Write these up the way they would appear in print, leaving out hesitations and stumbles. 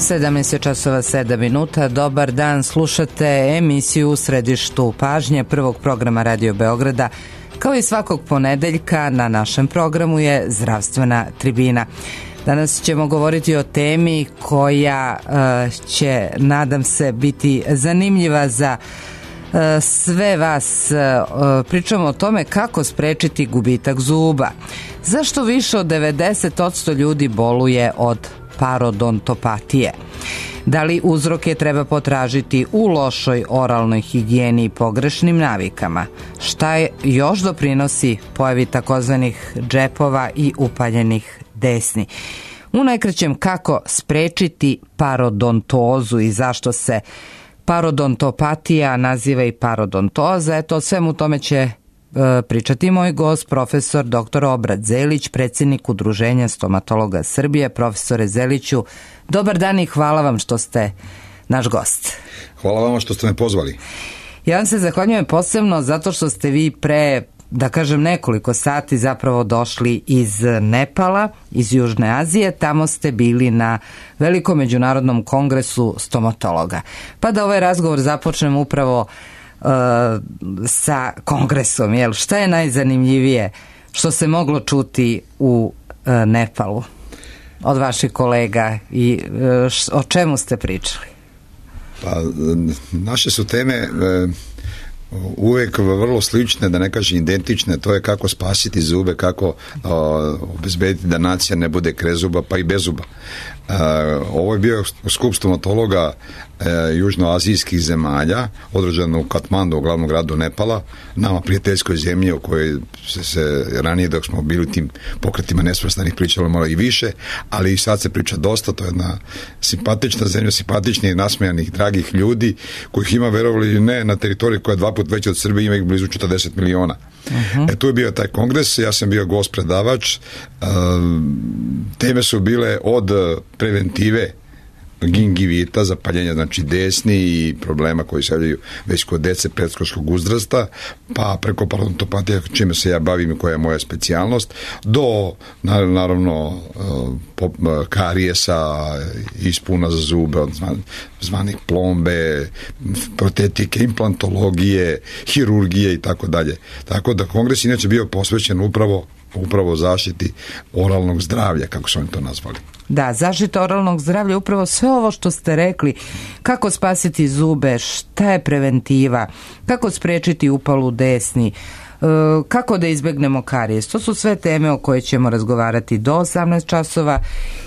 17 časova 7 minuta. Dobar dan, slušate emisiju U središtu pažnje prvog programa Radio Beograda. Kao i svakog ponedeljka na našem programu je Zdravstvena tribina. Danas ćemo govoriti o temi koja će, nadam se, biti zanimljiva za sve vas. Pričamo o tome kako sprečiti gubitak zuba. Zašto više od 90% ljudi boluje od parodontopatije? Da li uzroke treba potražiti u lošoj oralnoj higijeni i pogrešnim navikama? Šta još doprinosi pojavi takozvanih džepova i upaljenih desni? U najkraćem, kako sprečiti parodontozu i zašto se parodontopatija naziva i parodontoza? Eto, o svemu tome će pričati moj gost, profesor dr. Obrat Zelić, predsjednik Udruženja stomatologa Srbije. Profesore Zeliću, dobar dan i hvala vam što ste naš gost. Hvala vama što ste me pozvali. Ja vam se zahvaljujem posebno zato što ste vi pre, da kažem, nekoliko sati zapravo došli iz Nepala, iz Južne Azije. Tamo ste bili na velikom međunarodnom kongresu stomatologa. Pa da ovaj razgovor započnemo upravo sa kongresom. Jel, šta je najzanimljivije što se moglo čuti u Nepalu od vaših kolega i o čemu ste pričali? Pa, naše su teme uvijek vrlo slične, da ne kažem identične. To je kako spasiti zube, kako obezbediti da nacija ne bude krezuba pa i bez zuba. Ovo je bio skup stomatologa južnoazijskih zemalja, održan u Katmandu, u glavnom gradu Nepala, nama prijateljskoj zemlji o kojoj se ranije, dok smo bili tim pokretima nesvrstanih, pričalo malo i više, ali i sad se priča dosta. To je jedna simpatična zemlja, simpatičnih i nasmejanih, dragih ljudi, kojih ima, verovali ili ne, na teritoriji koja je 2 puta veća od Srbije, ima ih blizu 40 miliona. Tu je bio taj kongres, ja sam bio gost predavač. Teme su bile od preventive gingivita, zapaljenja znači desni i problema koji se javljaju već kod dece predškolskog uzrasta, pa preko parodontopatije, čime se ja bavim i koja je moja specijalnost, do naravno karijesa, ispuna za zube, zvanih plombe, protetike, implantologije, hirurgije i tako dalje. Tako da kongres inače bio posvećen upravo zaštiti oralnog zdravlja, kako su oni to nazvali. Da, zaštita oralnog zdravlja, upravo sve ovo što ste rekli, kako spasiti zube, šta je preventiva, kako sprečiti upalu desni, kako da izbegnemo karijes. To su sve teme o koje ćemo razgovarati do 18 časova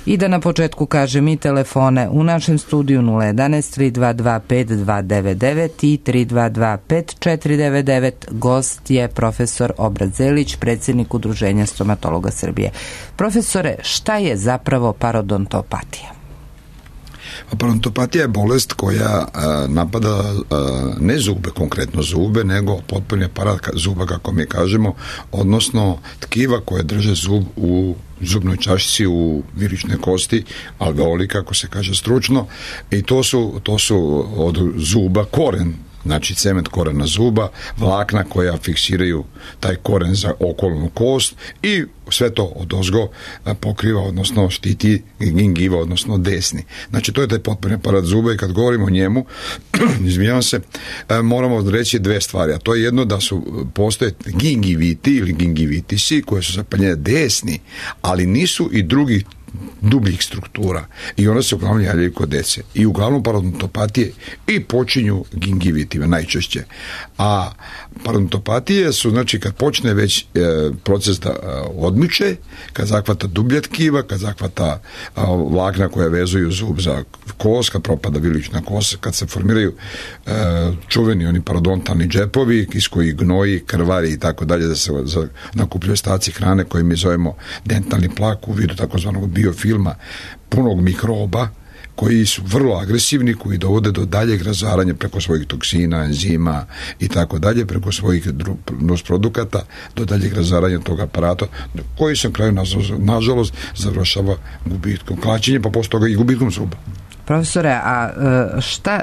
i da na početku kažem i telefone u našem studiju 011 322 5299 i 322 5499. Gost je profesor Obrat Zelić, predsjednik Udruženja stomatologa Srbije. Profesore, šta je zapravo parodontopatija? Parodontopatija je bolest koja napada ne zube, konkretno zube, nego potpuni aparat zuba, kako mi kažemo, odnosno tkiva koje drže zub u zubnoj čašici, u virične kosti, alveoli, kako se kaže stručno, i to su od zuba koren, znači cement korena zuba, vlakna koja fiksiraju taj koren za okolnu kost i sve to odozgo pokriva, odnosno štiti gingiva, odnosno desni. Znači to je taj potpuni aparat zuba i kad govorimo o njemu, izvinjavam se, moramo reći dve stvari, a to je jedno da postoje gingiviti ili gingivitisi koje su zapaljenje desni, ali nisu i drugi dubljih struktura i one se uglavnom javljaju kod dece i uglavnom parodontopatije i počinju gingivitima najčešće. A parodontopatije su, znači, kad počne već proces da odmiče, kad zahvata dublja tkiva, kad zahvata vlakna koja vezuju zub za kost, kad propada vilična kost, kad se formiraju čuveni oni parodontalni džepovi iz kojih gnoji, krvari i tako dalje, da se nakupljaju staci hrane koje mi zovemo dentalni plak u vidu takozvanog biofilma punog mikroba, koji su vrlo agresivni, koji dovode do daljeg razaranja preko svojih toksina, enzima i tako dalje, preko svojih nusprodukata, do daljeg razaranja tog aparata, koji se na kraju, nažalost, završava gubitkom klačenja, pa posle toga i gubitkom zuba. Profesore, a šta,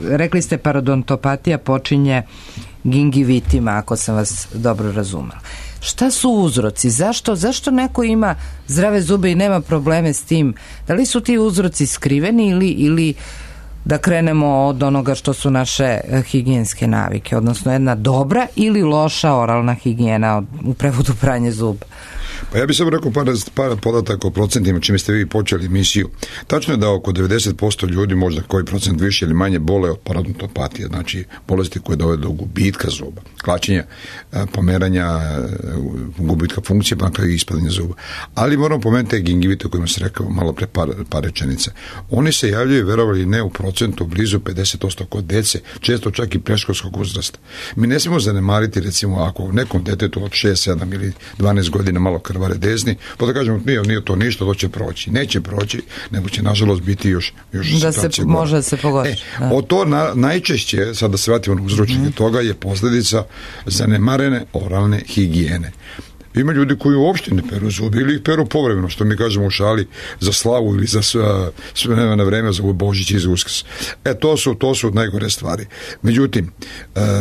rekli ste parodontopatija počinje gingivitima, ako sam vas dobro razumela. Šta su uzroci? Zašto neko ima zdrave zube i nema probleme s tim? Da li su ti uzroci skriveni ili da krenemo od onoga što su naše higijenske navike, odnosno jedna dobra ili loša oralna higijena, u prevodu pranje zuba? Pa ja bih samo rekao par podataka o procentima čime ste vi počeli emisiju. Tačno je da oko 90% ljudi, možda koji procent više ili manje, bole od parodontopatije, znači bolesti koje dovode do gubitka zuba, klačenja, pomeranja, gubitka funkcije, pa i ispadanja zuba. Ali moramo pomenuti gingivite o kojima se rekao malo pre par rečenica. Oni se javljaju, verovali ne, u procentu blizu 50% kod dece, često čak i predškolskog uzrasta. Mi ne smijemo zanemariti, recimo, ako nekom detetu od 6, 7 ili 12 godina malo krvare desni, pa da kažemo nije to ništa, to će proći. Neće proći, nego će nažalost biti još da se može se pogoriti. Od to najčešće, sad da se vratimo na uzročnike toga, je posljedica zanemarene oralne higijene. Ima ljudi koji uopšte ne peru zubi ili ih peru povremeno, što mi kažemo u šali, za slavu ili za sve na vreme, za Božić i za Uskrs. To su najgore stvari. Međutim,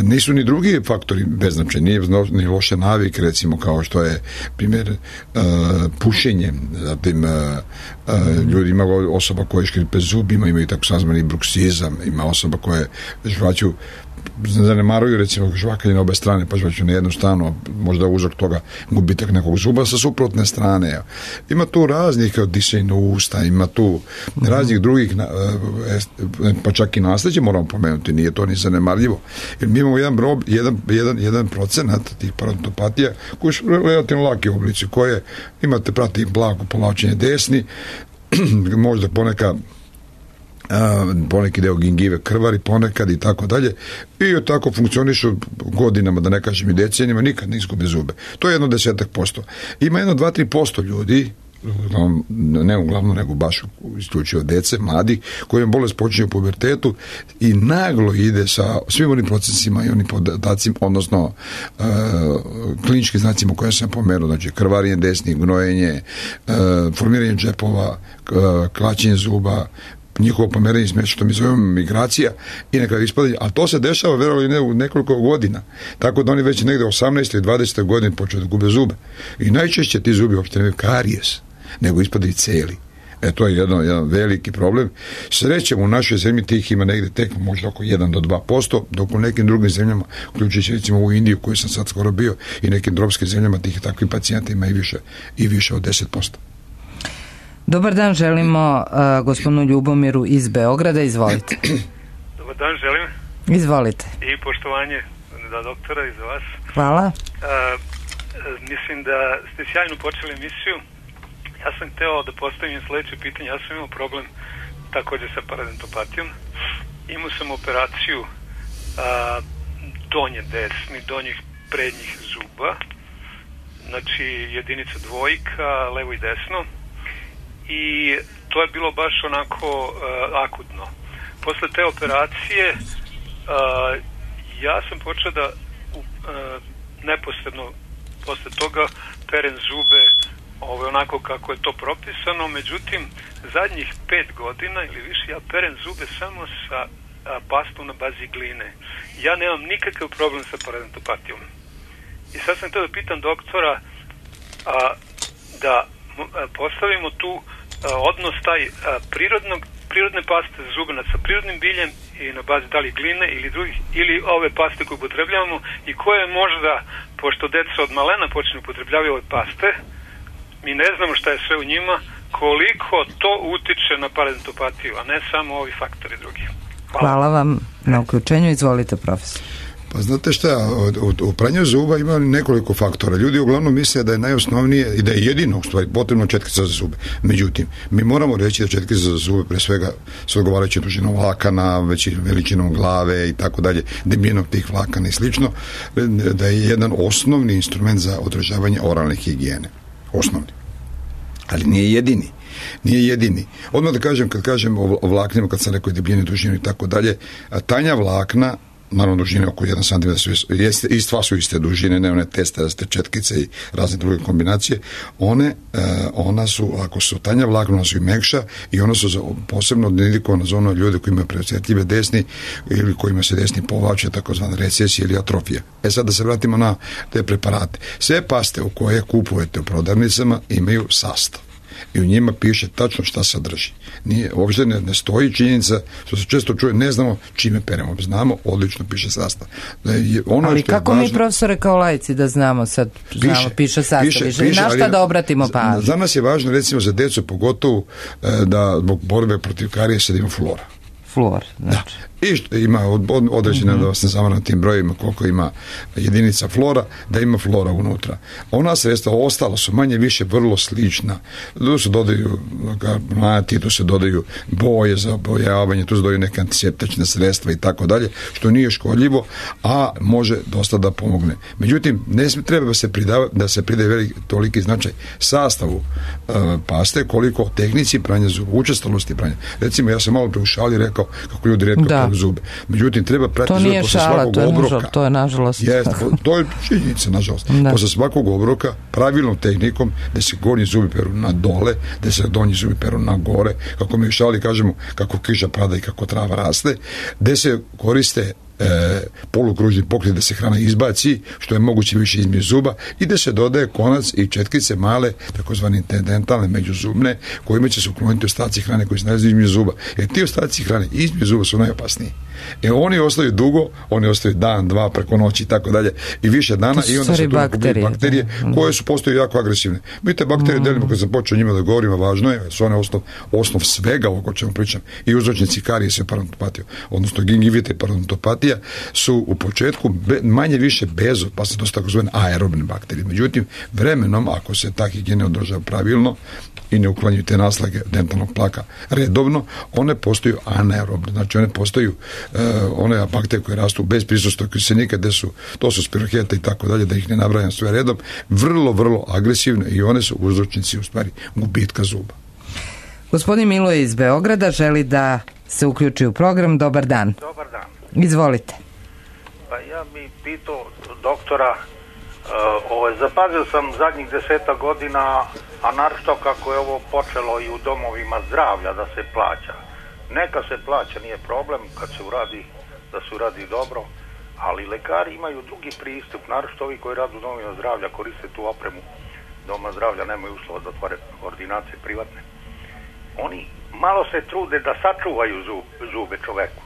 nisu ni drugi faktori beznačajni, nije ni loše navike, recimo kao što je primjer pušenje, zatim ljudi, ima osoba koje škripe zubima, imaju tako sazvani bruksizam, ima osoba koje žvaću, zanemaruju recimo žvakanje na obe strane, pa žvaću na jednu stranu, možda uzrok toga gubitak nekog zuba sa suprotne strane. Ima tu raznih disajna usta, ima tu raznih drugih, pa čak i nasljeđe moramo pomenuti, nije to ni zanemarljivo. Jer mi imamo jedan procenat tih parodontopatija koji su relativno laki oblici, koje imate, prati blago povlačenje desni, možda poneki deo gingive krvari ponekad i tako dalje, i tako funkcionišu godinama, da ne kažem i decenijama, nikad ne izgube zube. To je 10%. Ima 2-3% ljudi, ne uglavnom, nego baš isključivo dece, mladih, kojim bolest počinje u pubertetu i naglo ide sa svim onim procesima i onim podacima, odnosno kliničkim znacima koje sam pomenuo, znači krvarenje desnih, gnojenje, formiranje džepova, klačenje zuba, njihovo pomeranje smješa, što mi zovemo migracija, i na kraju ispadanje, ali to se dešava verovali ne u nekoliko godina, tako da oni već negde 18. i 20. godine počeo da gube zube. I najčešće ti zubi uopšte nemaju karijes, nego ispadaju celi. To je jedan veliki problem. Srećemo, u našoj zemlji tih ima negde tek možda oko 1 do 2%, dok u nekim drugim zemljama, uključujući recimo u Indiju, koju sam sad skoro bio, i nekim tropskim zemljama, tih takvih pacijenta ima i više od 10%. Dobar dan, želimo gospodinu Ljubomiru iz Beograda, izvolite. Dobar dan, želim. Izvolite. I poštovanje za doktora i za vas. Hvala. Mislim da ste sjajno počeli emisiju. Ja sam hteo da postavim sledeće pitanje. Ja sam imao problem takođe sa parodontopatijom. Imao sam operaciju donjih prednjih zuba. Znači jedinica dvojka, levo i desno. I to je bilo baš onako akutno. Posle te operacije ja sam počeo da neposredno posle toga perem zube onako kako je to propisano, međutim zadnjih 5 godina ili više ja perem zube samo sa pastom na bazi gline. Ja nemam nikakav problem sa parodontopatijom. I sad sam htio da pitam doktora da postavimo tu odnos taj prirodne paste za zube sa prirodnim biljem i na bazi da li gline ili ove paste koje upotrebljavamo, i koje možda, pošto deca od malena počne upotrebljavaju ove paste, mi ne znamo šta je sve u njima, koliko to utiče na parodontopatiju, a ne samo ovi faktori drugi. Hvala vam na uključenju, izvolite profesor. Pa znate šta, u pranju zuba ima nekoliko faktora. Ljudi uglavnom misle da je najosnovnije i da je jedino u stvari potrebno četkica za zube. Međutim, mi moramo reći da četkica za zube pre svega s odgovarajućim dužinom vlakana, veličinom glave i tako dalje, debljinom tih vlakana i slično, da je jedan osnovni instrument za održavanje oralne higijene. Osnovni. Ali nije jedini. Odmah da kažem, kad kažem o vlaknima, kad sam rekao debljinu, dužinu i tako dalje, tanja vlakna naravno dužine oko 1 cm, istva su iste dužine, ne one testeraste četkice i razne druge kombinacije, ona su, ako su tanja vlakna, ona su i mekša i ona su posebno dedikovana za ono ljude koji imaju preosjetljive desni ili kojima se desni povlače, takozvana recesija ili atrofija. Sad da se vratimo na te preparate. Sve paste u koje kupujete u prodavnicama imaju sastav i u njima piše tačno šta sadrži. Uopšte ne stoji činjenica, što se često čuje, ne znamo čime peremo. Znamo, odlično piše sastav. Ali kako mi, profesore, kao laici da znamo sad, piše sastav, na šta da obratimo pažnju? Za nas je važno, recimo za decu pogotovo, da zbog borbe protiv karijesa da ima flora. Fluor, znači. I što ima određene, da vas ne zamaram tim brojima koliko ima jedinica flora, da ima flora unutra. Ona sredstva ostala su manje više vrlo slična. Tu se dodaju karbonati, tu se dodaju boje za bojavanje, tu se dodaju neke antiseptične sredstva i tako dalje, što nije škodljivo, a može dosta da pomogne. Međutim, ne treba da se pridaje toliki značaj sastavu paste koliko tehnici pranja zuba, učestalosti pranja. Recimo, ja sam malo pre u šali rekao kako ljudi retko peru zube. Međutim, treba pratiti zube posle svakog obroka. To je nažalost. To je činjenica, nažalost. Posle svakog obroka, pravilnom tehnikom, da se gornji zubi peru na dole, da se donji zubi peru na gore, kako mi u šali kažemo, kako kiša pada i kako trava raste, da se koriste polukružni pokret da se hrana izbaci što je moguće više između zuba i da se dodaje konac i četkice male, takozvane dentalne međuzubne, kojima će se ukloniti ostaci hrane koji se nalaze između zuba. Jer ti ostaci hrane između zuba su najopasniji. Oni ostaju dugo, oni ostaju dan, dva, preko noći i tako dalje i više dana i onda se tu bakterije koje su postaju jako agresivne. Mi te bakterije delimo, kad sam počeo njima da govorimo, važno je, su one osnov svega ovo o čemu pričam, i uzročnici karijesa i parodontopatije, odnosno gingivite i parodontopatija su u početku manje više bezopasne, to su takozvane aerobne bakterije. Međutim, vremenom, ako se ta higijena održava pravilno i ne uklanjaju te naslage dentalnog plaka redovno, one postaju anaerobne, znači one postaju one bakterije koje rastu bez prisustva kisenika, to su spiroheta i tako dalje, da ih ne nabrajam sve redom, vrlo, vrlo agresivne i one su uzročnici u stvari gubitka zuba. Gospodin Miloje iz Beograda želi da se uključi u program. Dobar dan. Dobar dan. Izvolite. Pa ja bi pitao doktora, zapazio sam zadnjih 10 godina, a naročito kako je ovo počelo i u domovima zdravlja da se plaća. Neka se plaća, nije problem kad se uradi, da se uradi dobro, ali lekari imaju drugi pristup, naročito ovi koji rade u domovima zdravlja, koriste tu opremu doma zdravlja, nemaju uslova da otvore ordinacije privatne. Oni malo se trude da sačuvaju zube čoveku.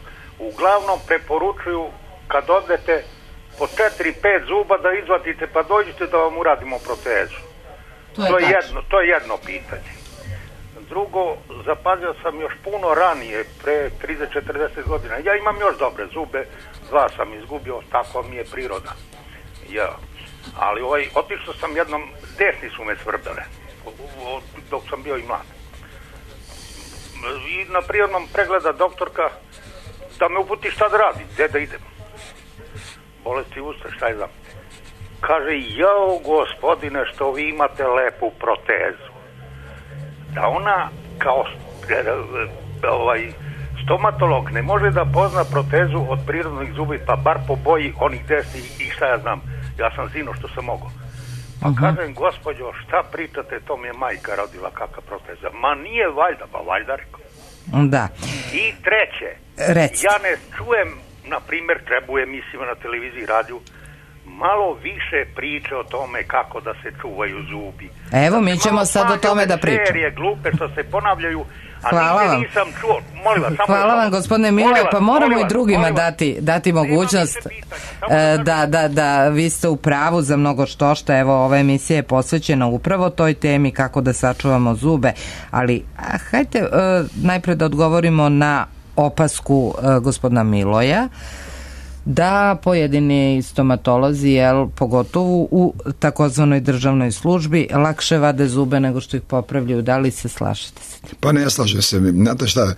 Uglavnom preporučuju kad odete po 4-5 zuba da izvadite pa dođite da vam uradimo protezu. To je jedno pitanje. Drugo, zapazio sam još puno ranije, pre 30-40 godina. Ja imam još dobre zube, 2 sam izgubio, tako mi je priroda. Ali otišao sam jednom, desni su me svrbele, dok sam bio i mlad. I na prirodnom pregleda doktorka da me uputi šta da radi, gde da idem. Bolesti usta, šta je znam. Kaže, jao gospodine, što vi imate lepu protezu. Da ona kao stomatolog ne može da pozna protezu od prirodnih zubi, pa bar po boji onih desnih i šta ja znam. Ja sam zino što sam mogao. Pa kažem, gospođo, šta pričate, to mi je majka rodila, kakva proteza. Ma nije valjda, pa valjda rekao. Da. I treće, ja ne čujem, na primjer, treba u emisijama na televiziji, radiju, malo više priče o tome kako da se čuvaju zubi. Evo, mi ćemo sad o tome da pričamo. Serije glupe što se ponavljaju, a nisam čuo. Molim vas, hvala vam, gospodine Miloje, pa moramo i drugima dati mogućnost da vi ste u pravu za mnogo što. Evo, ova emisija je posvećena upravo toj temi kako da sačuvamo zube, ali hajde najpre da odgovorimo na opasku gospodina Miloja da pojedini stomatolozi, pogotovo u takozvanoj državnoj službi, lakše vade zube nego što ih popravljaju. Da li se slažete se? Pa ne slažem se. Znate šta,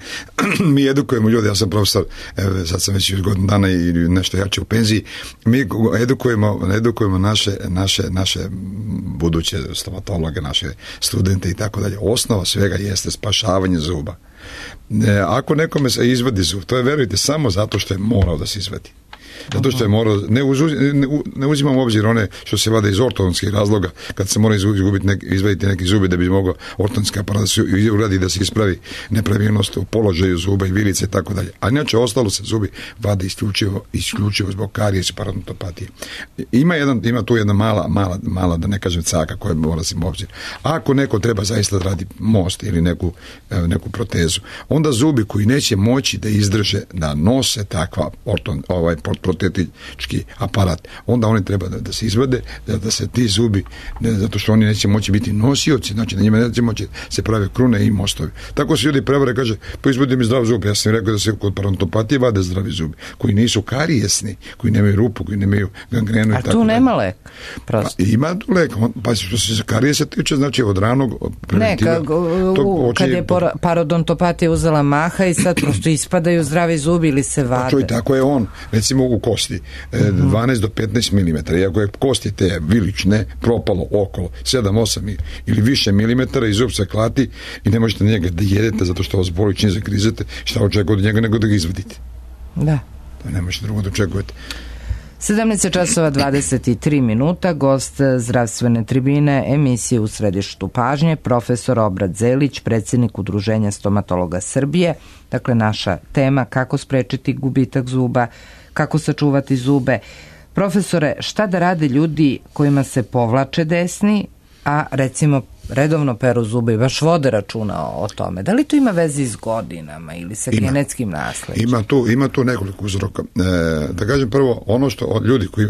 mi edukujemo ljude, ja sam profesor, sad sam već godinu dana i nešto jače u penziji, mi edukujemo naše buduće stomatologe, naše studente i tako dalje. Osnova svega jeste spašavanje zuba. Ako nekome se izvadi zub, to je, verujte, samo zato što je morao da se izvadi. Zato što je morao, ne uzimam u obzir one što se vade iz ortodonskih razloga, kad se mora izvaditi neki zubi da bi mogao ortodonski aparat da se uradi, da se ispravi nepravilnost u položaju zuba i vilice i tako dalje. A inače ostalo se zubi vade isključivo zbog karijesa, parodontopatije. Ima tu jedna mala, da ne kažem caka koja mora se u obzir. Ako neko treba zaista da radi most ili neku protezu, onda zubi koji neće moći da izdrže, da nose takva protetički aparat, onda oni treba da se izvade, da se ti zubi, zato što oni neće moći biti nosioci, znači na njima neće moći se prave krune i mostovi. Tako se ljudi prevare, kaže, pa izvadi mi zdrav zub. Ja sam rekao da se kod parodontopatije vade zdravi zubi, koji nisu karijesni, koji nemaju rupu, koji nemaju gangrenu. A tu nema lek? Ima tu lek, pa što se karijesa tiče, znači od ranog preventiva. Kad je parodontopatija uzela maha i sad prosto ispadaju zdravi zubi ili se vade. Čuj, tako je on, recimo u kosti, 12 do 15 mm, iako je kosti te vilične propalo okolo 7-8 ili više milimetara i zub se klati i ne možete njega da jedete zato što vas boli čim zagrizete, šta očekujete od njega nego da ga izvadite. Da. To ne možete drugo da očekujete. 17:23, gost zdravstvene tribine emisije U središtu pažnje, profesor Obrat Zelić, predsjednik Udruženja stomatologa Srbije. Dakle, naša tema kako sprečiti gubitak zuba, kako sačuvati zube. Profesore, šta da rade ljudi kojima se povlače desni, a recimo redovno peru zube i baš vode računa o tome? Da li to ima veze s godinama ili sa genetskim nasleđem? Ima tu nekoliko uzroka. Da kažem prvo, ono što od ljudi koji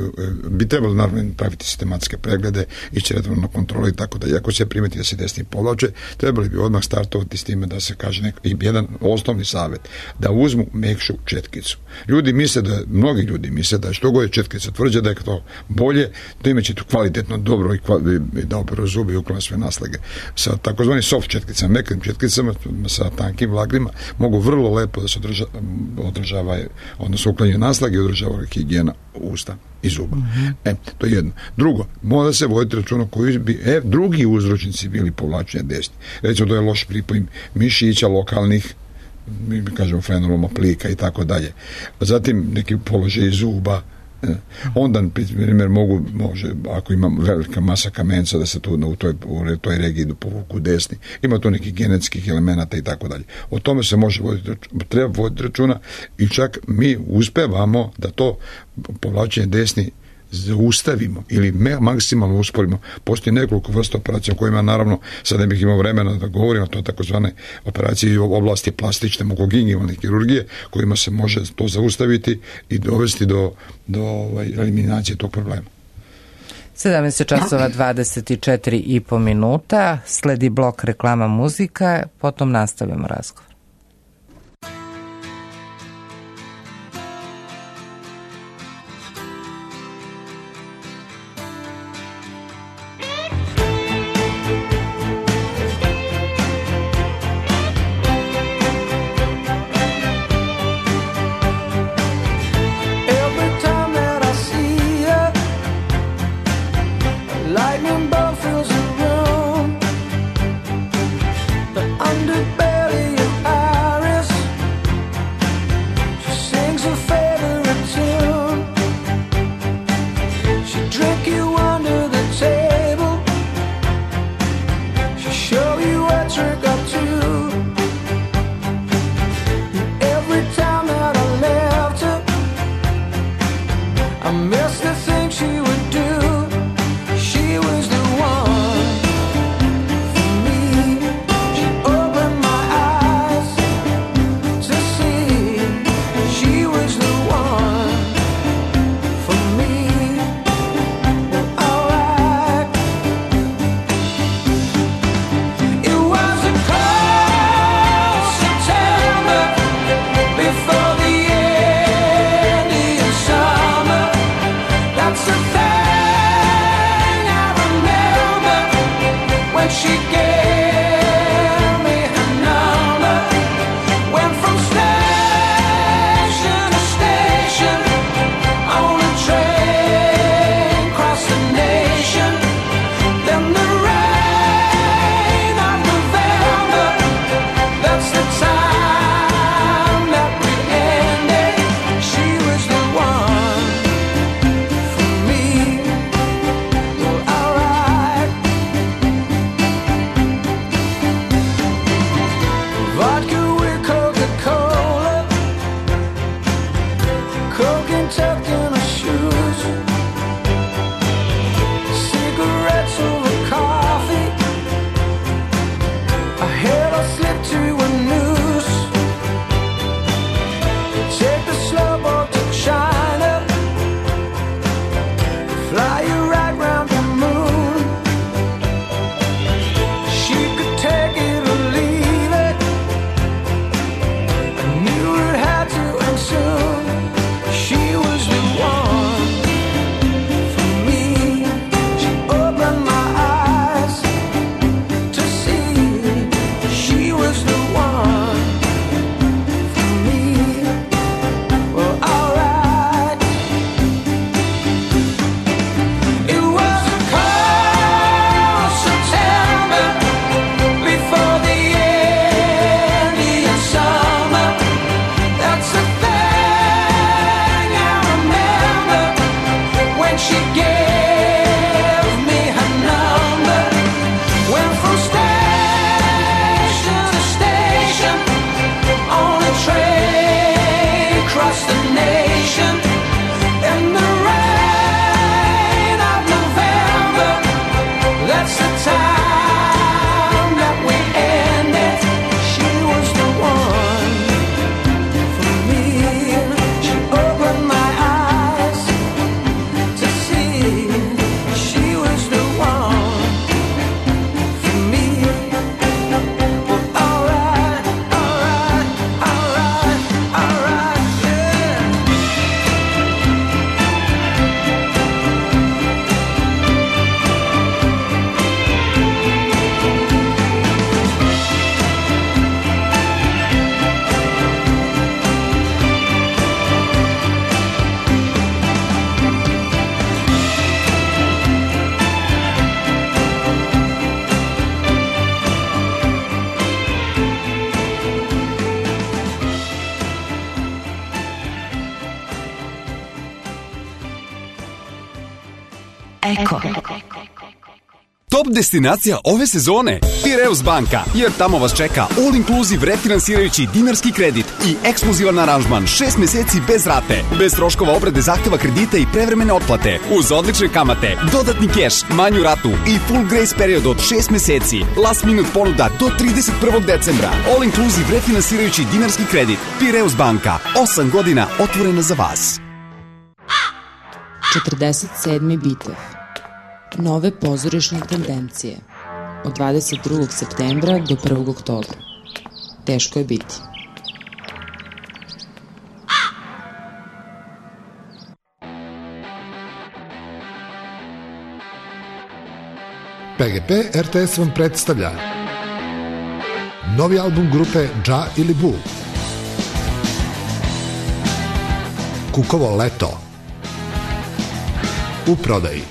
bi trebalo naravno praviti sistematske preglede, ići redovno na kontrolu i tako da, iako se primeti da se desni povlače, trebali bi odmah startovati s time da se kaže jedan osnovni savjet, da uzmu mekšu četkicu. Mnogi ljudi misle da što god je četkica tvrđa, da je to bolje, da imaće tu kvalitetno dobro i da operu zubi i uklone sve naslage. Sa takozvanim soft četkicama, mekim četkicama, sa tankim vlagnima, mogu vrlo lepo da se održava, odnosno uklanjaju naslage i održava higijena usta i zuba. To je jedno. Drugo, mora se voditi računa koji bi drugi uzročnici bili povlačenja desni. Recimo, to je loš pripoj mišića lokalnih, mi kažemo frenoloma plika i tako dalje. Zatim neki položaj zuba, onda primjer može, ako ima velika masa kamenca, da se tu u toj regiji povuku desni, ima tu nekih genetskih elemenata i tako dalje. O tome se treba voditi računa i čak mi uspevamo da to povlačenje desni zaustavimo ili maksimalno usporimo. Postoji nekoliko vrsta operacija o kojima naravno sad ne bih imao vremena da govorimo, to je takozvane operacije u oblasti plastične mokogingivalne kirurgije kojima se može to zaustaviti i dovesti do eliminacije tog problema. 17:24,5, sledi blok reklama muzika, potom nastavljamo razgovor. Underbelly of Eko. Top destinacija ove sezone Piraeus banka, jer tamo vas čeka all inclusive refinansirajući dinarski kredit i ekskluzivan aranžman 6 meseci bez rate, bez troškova obrade zahteva kredita i prevremene otplate, uz odlične kamate, dodatni keš, manju ratu i full grace period od 6 meseci, last minute ponuda do 31. decembra, all inclusive refinansirajući dinarski kredit. Piraeus banka, 8 godina otvorena za vas. 47. bitev. Nove pozorišne tendencije. Od 22. septembra do 1. oktobra. Teško je biti. PGP RTS vam predstavlja novi album grupe Dža ili Bu. Kukovo leto. U prodaji.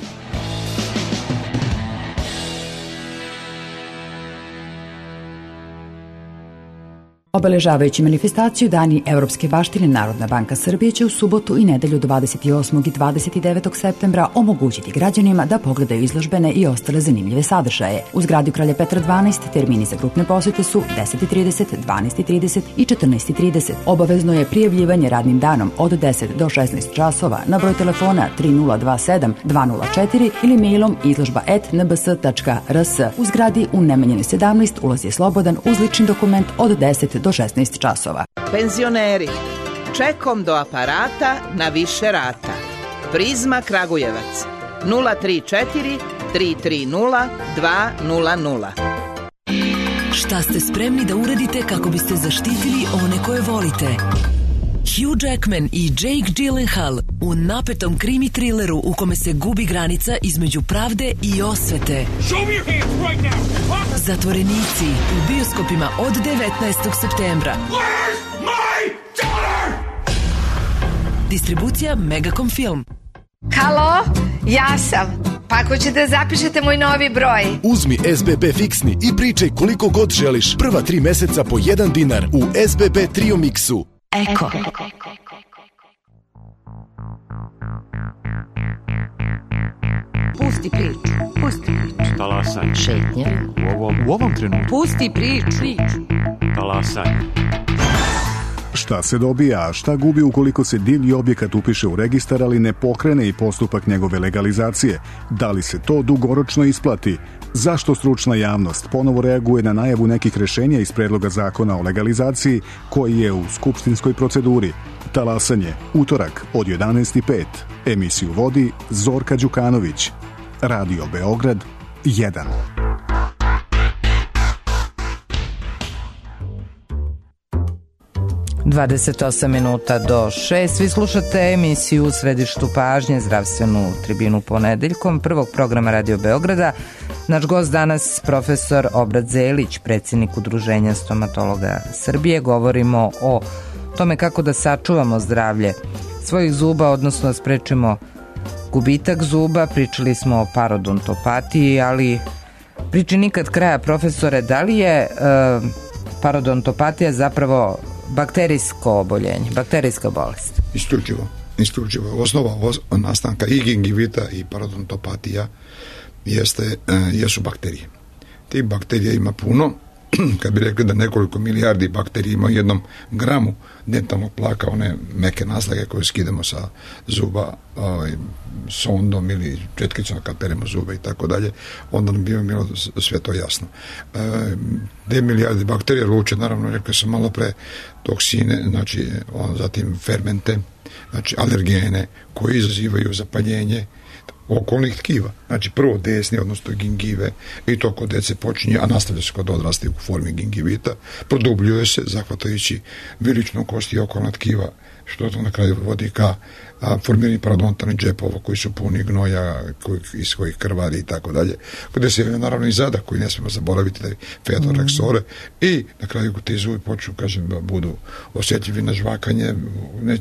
Obeležavajući manifestaciju Dani Evropske baštine, Narodna banka Srbije će u subotu i nedelju 28. i 29. septembra omogućiti građanima da pogledaju izložbene i ostale zanimljive sadržaje. U zgradi Kralja Petra 12 termini za grupne posete su 10:30, 12:30 i 14:30. Obavezno je prijavljivanje radnim danom od 10 do 16 časova na broj telefona 3027 204 ili mailom izložba@nbs.rs. U zgradi u Nemanjinoj 17 ulaz je slobodan uz lični dokument od 10 do 16 časova. Penzioneri, čekom do aparata na više rata. Prizma Kragujevac 034 330 200. Šta ste spremni da uradite kako biste zaštitili one koje volite? Hugh Jackman i Jake Gyllenhaal u napetom krimi trileru u kome se gubi granica između pravde i osvete. Zatvorenici u bioskopima od 19. septembra. Distribucija Megacom Film. Halo, ja sam. Pa ako ćete zapišete moj novi broj. Uzmi SBB fiksni i pričaj koliko god želiš. Prva 3 meseca po $1 u SBB Trio Mixu. Eko. Pusti priču. Talasanje. Šetnje. U ovom trenutku. Pusti priču. Talasanje. Šta se dobija, a šta gubi ukoliko se divlji objekat upiše u registar, ali ne pokrene i postupak njegove legalizacije? Da li se to dugoročno isplati? Zašto stručna javnost ponovo reaguje na najavu nekih rešenja iz predloga zakona o legalizaciji koji je u skupštinskoj proceduri? Talasanje, utorak od 11:05. Emisiju vodi Zorka Đukanović. Radio Beograd 1. ...28 minuta do 6. Vi slušate emisiju u središtu pažnje, zdravstvenu tribinu ponedeljkom, prvog programa Radio Beograda. Naš gost danas profesor Obrat Zelić, predsjednik Udruženja stomatologa Srbije. Govorimo o tome kako da sačuvamo zdravlje svojih zuba, odnosno sprečimo gubitak zuba. Pričali smo o parodontopatiji, ali priči nikad kraja, profesore. Da li je parodontopatija zapravo bakterijsko oboljenje, bakterijska bolest? Isključivo. Osnova nastanka i gingivita i parodontopatija jesu bakterije. Tih bakterija ima puno. Kad bi rekli da nekoliko milijardi bakterija ima u 1 gramu dentalnog plaka, one meke naslage koje skidamo sa zuba sondom ili četkicom kad peremo zube i tako dalje, onda nam bi bilo sve to jasno. 2 milijarde bakterija luče, naravno, rekli sam malo pre, toksine, znači zatim fermente, znači alergene koji izazivaju zapaljenje okolnih tkiva. Znači prvo desni, odnosno gingive, i to kod dece počinje, a nastavlja se kod odraslih u formi gingivita, produbljuje se zahvatajući viličnu kost i okolna tkiva, što to na kraju vodi ka formiranje parodontalnih džepova koji su puni gnoja, iz kojih krvari i tako dalje. Gde se naravno i zadak koji ne smemo zaboraviti, taj featoreksore, i na kraju ti zubi počnu, kažem, da budu osjetljivi na žvakanje.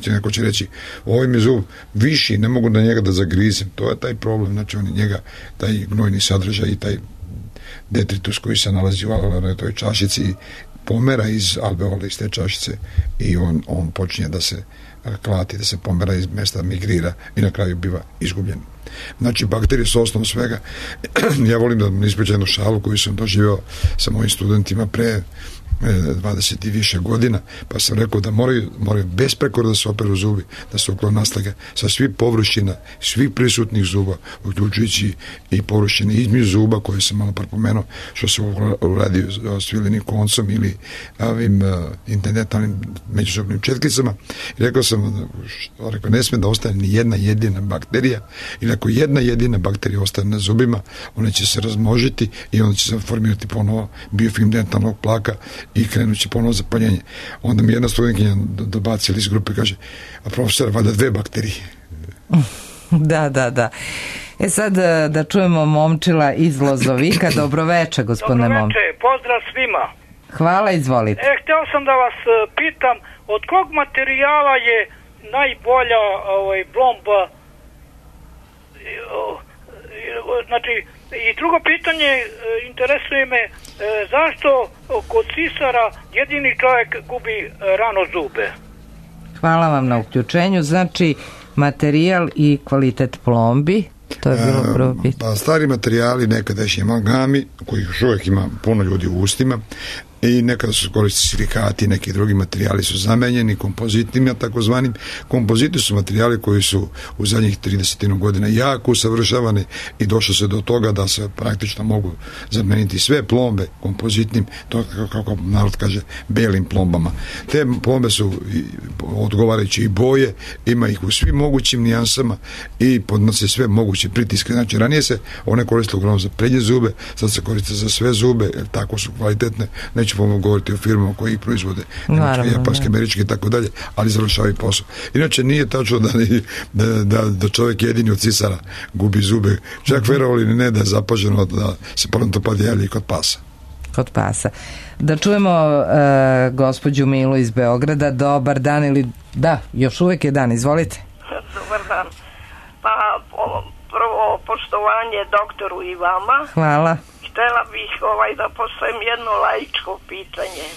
Neko će reći, ovaj mi zub viši, ne mogu da njega da zagrizem. To je taj problem, znači on njega, taj gnojni sadržaj i taj detritus koji se nalazi u toj čašici pomera iz alveola, iz te čašice, i on počinje da se klati, da se pomera iz mesta, migrira i na kraju biva izgubljen. Znači, bakterije su osnov svega. Ja volim da ispričam jednu šalu koju sam doživio sa mojim studentima pre 20 i više godina, pa sam rekao da moraju besprekorno da se operu zubi, da se uklone naslage sa svih površina, svih prisutnih zuba, uključujući i površine između zuba koje sam malo prepomenuo, što se uradi svilenim koncom ili ovim internetalnim međuzubnim četkicama. I rekao sam, ne sme da ostane ni jedna jedina bakterija, ili ako jedna jedina bakterija ostane na zubima, ona će se razmnožiti i onda će se formirati ponovo biofilm dentalnog plaka i krenući ponovo zapaljenje. Onda mi jedna studentkinja dobacila iz grupe i kaže, a profesor, valjda 2 bakterije. Da. Sad da čujemo Momčila iz Lozovika. Dobroveče, gospodine Momčil. Dobroveče, pozdrav svima. Hvala, izvolite. Hteo sam da vas pitam, od kog materijala je najbolja blomba? Znači, i drugo pitanje, interesuje me, zašto kod sisara jedini čovjek gubi rano zube? Hvala vam na uključenju. Znači, materijal i kvalitet plombi, to je bilo prvo pitanje. Stari materijali, nekadašnji amalgami, koji još uvijek ima puno ljudi u ustima, i nekada su koristili silikati, neki drugi materijali su zamenjeni kompozitima, takozvanim. Kompoziti su materijali koji su u zadnjih 30 godina jako usavršavani i došlo se do toga da se praktično mogu zameniti sve plombe kompozitnim, to kako narod kaže, belim plombama. Te plombe su odgovarajući i boje, ima ih u svim mogućim nijansama i podnose sve moguće pritiske. Znači, ranije se one koristile uglavnom za prednje zube, sad se koriste za sve zube, jer tako su kvalitetne. Neću govoriti o firmama koji ih proizvode, japanske, američke i tako dalje, ali završavaju posao. Inače, nije tačno da čovjek jedini od cisara gubi zube. Čak verovali ili ne, da je zapaženo da se pronto javlja i kod pasa. Kod pasa. Da čujemo gospođu Milu iz Beograda. Dobar dan, ili da, još uvijek je dan, izvolite. Dobar dan. Pa prvo poštovanje doktoru i vama. Hvala. Htjela bih da postavim jedno laičko pitanje.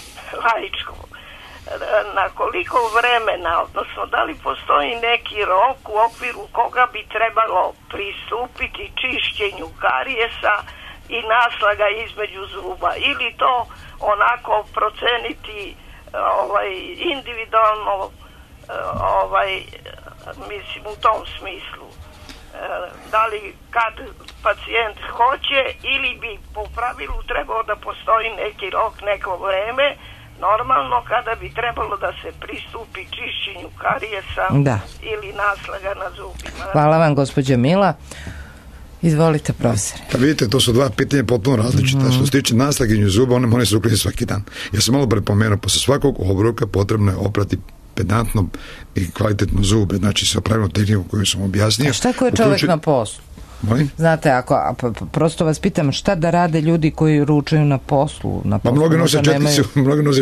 Na koliko vremena, odnosno da li postoji neki rok u okviru koga bi trebalo pristupiti čišćenju karijesa i naslaga između zuba, ili to onako proceniti individualno, mislim u tom smislu. Da li kad pacijent hoće, ili bi po pravilu trebao da postoji neki rok, neko vreme, normalno kada bi trebalo da se pristupi čišćenju karijesa ili naslaga na zubima. Hvala vam, gospođa Mila. Izvolite, profesore. Pa vidite, to su dva pitanja potpuno različita. Što se tiče naslaginju zuba, one se uključuju svaki dan. Ja sam malo prepomenuo, posle svakog obroka potrebno je oprati pedantno i kvalitetno zube, znači sa pravilnom tehnikom koju sam objasnio. A šta ako je čovjek na poslu? Molim? Znate, prosto vas pitam, šta da rade ljudi koji ručaju na poslu? Pa mnogi nose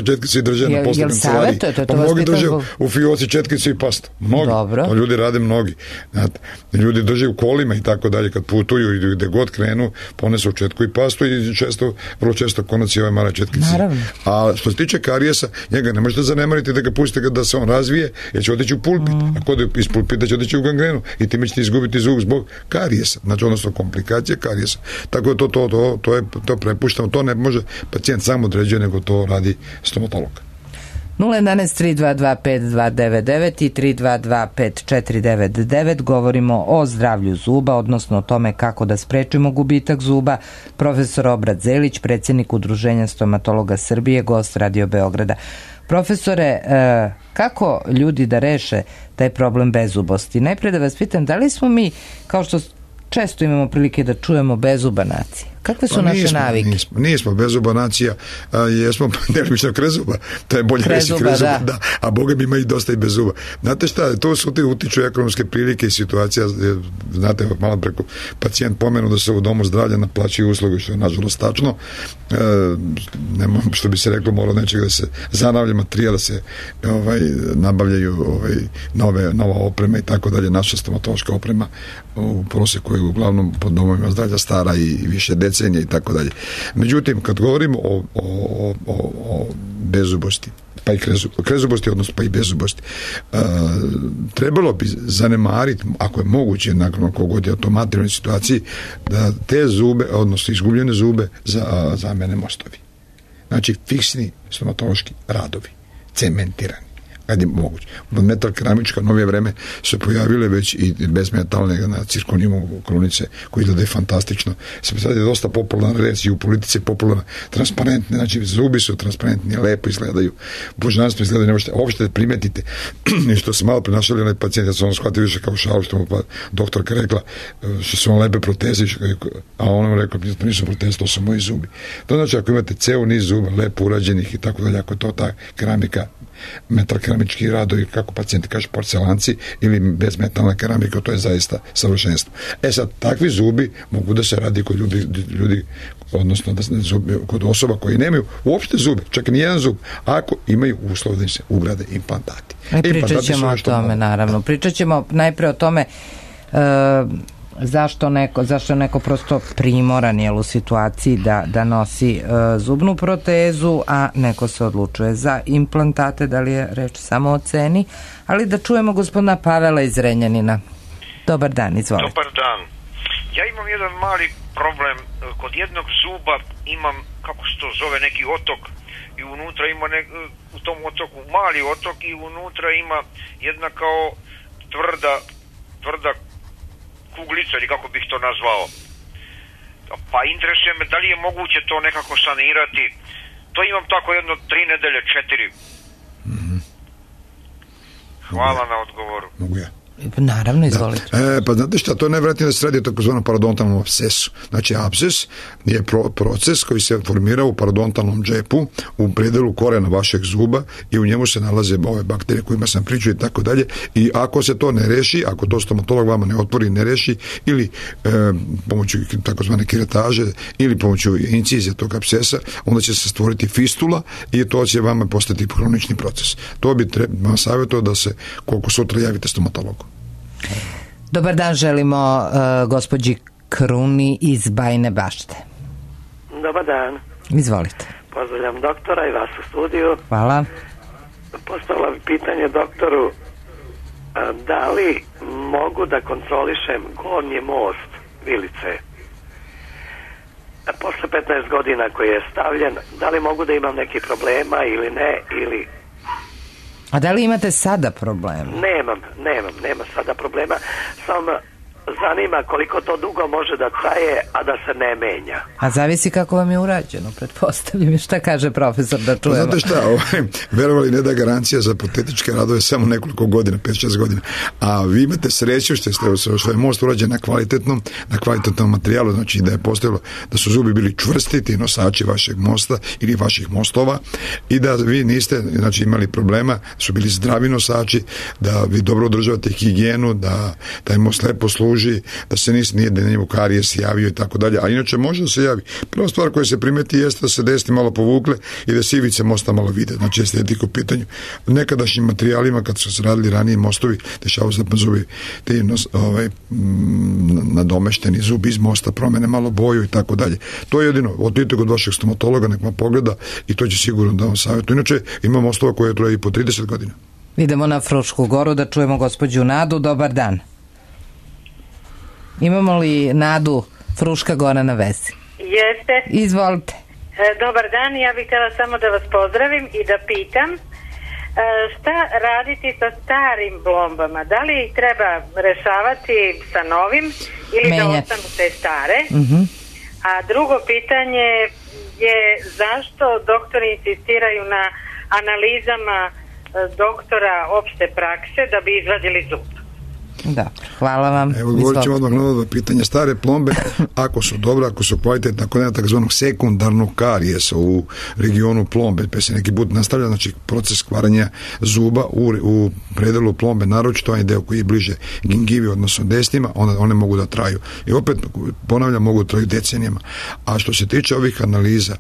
četkicu i drže na poslu kancelariji. Pa mnogi drže u fioci četkicu i pastu. Mnogi. To ljudi rade mnogi. Znate, ljudi drže u kolima i tako dalje, kad putuju i gde god krenu, ponesu četku i pastu i vrlo često konaci ove male četkice. Naravno. A što se tiče karijesa, njega ne možete zanemariti da ga pustite da se on razvije, jer će otići u pulpit. A kod je iz pulpita će otići u gangrenu i time ćete izgubiti zub zbog karijesa. Znači, odnosno komplikacije karijesa. Tako da to prepuštamo, to ne može pacijent sam određuje, nego to radi stomatolog. 011-322-5299 i 322-5499. Govorimo o zdravlju zuba, odnosno o tome kako da sprečimo gubitak zuba. Profesor Obrat Zelić, predsjednik Udruženja stomatologa Srbije, gost Radio Beograda. Profesore, kako ljudi da reše taj problem bezubosti? Najpre da vas pitam, da li smo mi, kao što često imamo prilike da čujemo, bezuba nacija? Kakve su naše navike? Nismo bezuba nacija, jesmo delimično krezuba. To je bolje reći krezuba, da. A Boga mi ima i dosta i bezuba. Znate šta, to su utiču ekonomske prilike i situacija. Znate, malo preko pacijent pomenu da se u domu zdravlja naplaćuju usluge, što je nažalost tačno. Što bi se reklo, mora nečega da se zanavlja materijal, da se nabavljaju nova oprema i tako dalje. Naša stomatološka oprema u proseku je uglavnom pod domovima zdravlja stara i više decenija. decenija i tako dalje. Međutim, kad govorimo o bezubosti, pa i krezubosti, odnosno pa i bezubosti, trebalo bi zanemariti, ako je moguće, nakon kogod je o tom materijalnoj situaciji, da te zube, odnosno izgubljene zube, zamene mostovi. Znači, fiksni stomatološki radovi, cementirani, kad je moguće. Metal keramička, novije vreme su pojavile već i bezmetalne na cirkonimu krunice, koji izgledaju fantastično. Sad je dosta popularna reč i u politici popularna, transparentne, znači zubi su transparentni, lepo izgledaju, božanstvo izgledaju, ne možete uopšte da primetite. I što se malo prenašali onaj pacijent, ja sam ono shvatio više kao šalu, što mu doktorka rekla, što su on lepe proteze, a ona mu rekla, to nisu proteze, to su moji zubi. To znači, ako imate ceo niz zuba, lepo urađenih i tako dalje, ako je to ta keramika, metal keramički radovi, kako pacijenti kažu, porcelanci ili bezmetalna keramika, to je zaista savršenstvo. Sad, takvi zubi mogu da se radi kod ljudi, odnosno da zubi, kod osoba koji nemaju uopšte zube, čak i nijedan zub, ako imaju uslov da im se ugrade implantati. Pričat ćemo o tome, naravno. Pričat ćemo najpre o tome zašto je neko prosto primoran u situaciji da nosi zubnu protezu, a neko se odlučuje za implantate, da li je reč samo o ceni, ali da čujemo gospodina Pavela iz Renjanina. Dobar dan, izvolite. Dobar dan. Ja imam jedan mali problem, kod jednog zuba imam, kako se to zove, neki otok i unutra ima u tom otoku mali otok i unutra ima jedna kao tvrda kuglica, ili kako bih to nazvao. Pa interesuje me da li je moguće to nekako sanirati. To imam tako jedno 3 nedelje, 4. Hvala na odgovoru. Mogu ja? Naravno, izvolite. Pa znate šta, to je najvjerojatnije da se radi o takozvanom parodontalnom apsesu. Znači, apses je proces koji se formira u parodontalnom džepu, u predelu korena vašeg zuba i u njemu se nalaze ove bakterije kojima sam pričao i tako dalje. I ako se to ne reši, ako to stomatolog vama ne otvori, ne reši, ili pomoću takozvane kiretaže ili pomoću incizije tog apsesa, onda će se stvoriti fistula i to će vama postati hronični proces. To bi vam savjetovao da se koliko sutra javite stomatologu. Dobar dan, želimo gospođi Kruni iz Bajine Bašte. Dobar dan. Izvolite. Pozdravljam doktora i vas u studiju. Hvala. Postavila bi pitanje doktoru, da li mogu da kontrolišem gornji most vilice? Posle 15 godina koji je stavljen, da li mogu da imam neki problema ili ne, ili... A da li imate sada problema? Nemam sada problema. Samo zanima koliko to dugo može da traje, a da se ne menja. A zavisi kako vam je urađeno, pretpostavljam. Šta kaže profesor, da čujemo? Znate šta, verovali ne da garancija za protetičke radove samo nekoliko godina, 5-6 godina. A vi imate sreću što je most urađen na kvalitetnom materijalu, znači da je postojalo, da su zubi bili čvrsti, ti nosači vašeg mosta ili vaših mostova, i da vi niste, znači, imali problema, su bili zdravi nosači, da vi dobro održavate higijenu, da taj most lepo služi, da se nije da njemu karijes javio i tako dalje, a inače može da se javi. Prva stvar koja se primeti jeste da se desni malo povukle i da se ivice mosta malo vide, znači estetika u pitanju. Nekadašnjim materijalima, kad su se radili ranije mostovi, dešavaju se zubi ti nadomešteni zubi iz mosta, promene malo boju i tako dalje. To je jedino, odite kod vašeg stomatologa, nek vam pogleda i to će sigurno da vam savjetu. Inače, ima mostova koje traje i po 30 godina. Idemo na Frušku goru da čujemo gospođu Nadu. Dobar dan. Imamo li Nadu, Fruška gora na vezi? Jeste. Izvolite. Dobar dan, ja bih htjela samo da vas pozdravim i da pitam šta raditi sa starim plombama? Da li ih treba rešavati sa novim ili da ostanu te stare? A drugo pitanje je zašto doktori insistiraju na analizama doktora opšte prakse da bi izvadili zub? Da, hvala vam. Evo, govorit ćemo odmah na ovo pitanje. Stare plombe, ako su dobre, ako su kvalitetne, ako nema takzvanog sekundarnog karijesa u regionu plombe, pa se neki put nastavlja, znači proces kvaranja zuba u predelu plombe, naročito onaj deo koji je bliže gingivi, odnosno desnima, one mogu da traju. I opet, ponavljam, mogu da traju decenijama. A što se tiče ovih analiza,